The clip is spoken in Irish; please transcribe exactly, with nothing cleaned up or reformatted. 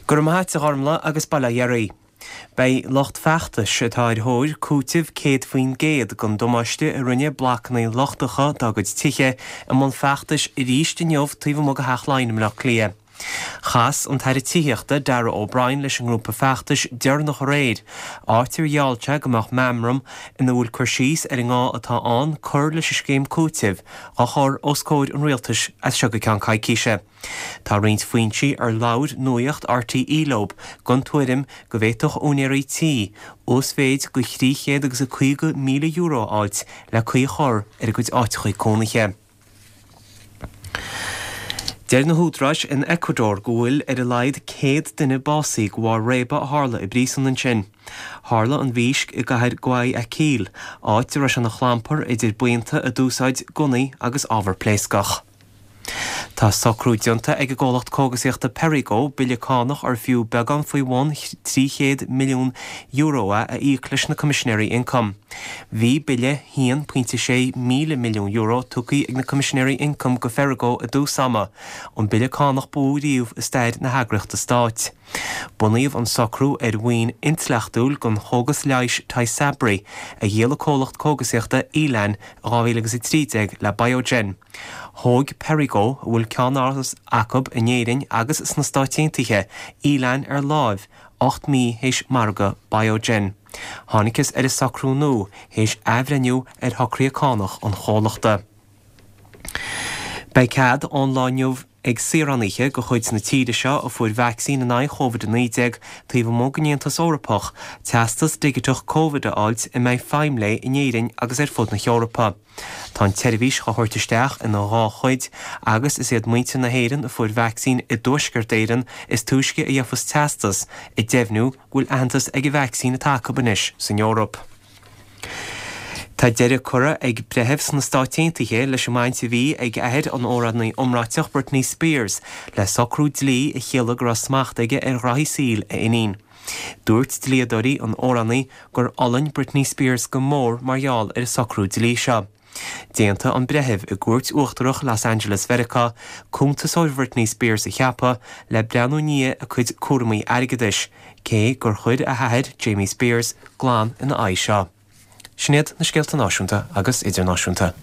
Go raibh maith agat a Ghormlaith agus bail ó Dhia oraibh. Beidh lucht feachtais atá ar thóir cúiteamh céad faoin gcéad den damáiste a rinne blocanna lochtacha dá gcuid tithe i mbun feachtais arís inniu taobh amuigh de Theach Laighean i mBleá Cliath. Chas an tAire Tithíochta Darragh O'Brien leis an ngrúpa feachtais deireanach aréir, áit ar gheall sé go mbeadh meamram ina bhfuil cur síos ar an ngá atá ann cur leis an scéim cúitimh á chur os comhair an rialtais as seo go ceann coicíse. Tá roinnt foinsí ar labhair Nuacht RTÉ leo den tuairim go bhféadfadh úinéirí tí uasmhéid de thrí chéad agus a caoga míle euro a fháilt le caoi a chur ar a gcuid áiteacha cónaithe. Deir na húdaráis in Ecuador go bhfuil ar a laghad céad duine básaithe de bharr réabadh a tharla i bpríosún ansin. Tharla an mhísc i gcathair Guayaquil, áit a raibh sé ina chlampar idir buíonta a d'úsáid gunnaí agus ábhar pléascach. Tá socrú déanta ag an gcomhlacht cógasaíochta Perrigo bille cánach ar fiú beagán faoi bhun trí chéad milliún euro a a íoc leis na Coimisinéirí Ioncaim. Bhí bille haon pointe sé míle milliún euro tugtha ag na Coimisinéirí Ioncaim go Perrigo i dtús ama, an bille cánach ba mhó riamh i stair na heagraíochta stáit. Bunaíodh an socrú ar mhaoin intleachtúil den chógas leighis Tysabri a dhíol an comhlacht cógasaíochta Elan dhá mhíle agus a trí déag le Biogen. Thóg Perrigo, a bhfuil ceannáras acu in Éirinn agus sna Stáit Aontaithe, Elan ar láimh ocht mí théis margadh Biogen. Thángthas ar an socrú nua théis athbhreithniú ar shocruithe cánach an chomhlachta. Beidh cead ón lá inniu ag saoránaithe de chuid na tíre seo a fuair vacsaín in aghaidh Covid a naoi déag taobh amuigh den Aontas Eorpach teastas digiteach Covid a fháilt a mbeidh feidhm léi in Éirinn agus ar fud na hEorpa. Tá an tseirbhís á thabhairt isteach ina dhá chuid agus is iad muintir na hÉireann a fuair vacsaín i dTuaisceart Éireann is túisce a gheofas teastas ag deimhniú go bhfuil aitheantas ag an vacsaín atá acu anois san Eoraip. Tá deireadh curtha ag breitheamh sna Stáit Aontaithe leis an mbaint a bhí ag athair an amhránaí iomráiteach Britney Spears le socrú dlí a chiallaigh go raibh smacht aige ar ghraithí saoil a iníon. Dúirt dlíodóirí an amhránaí gur fhulaing Britney Spears go mór mar gheall ar an socrú dlí seo. D'aontaigh an breitheamh i gcúirt uachtarach Los Angeles Mheiriceá cuntasóir Britney Spears a cheapadh le breathnú i ndiaidh a cuid cúraimí airgeadais, cé gur chuir a hathair Jamie Spears glan ina aghaidh seo. Sin iad na scéalta náisiúnta agus idirnáisiúnta.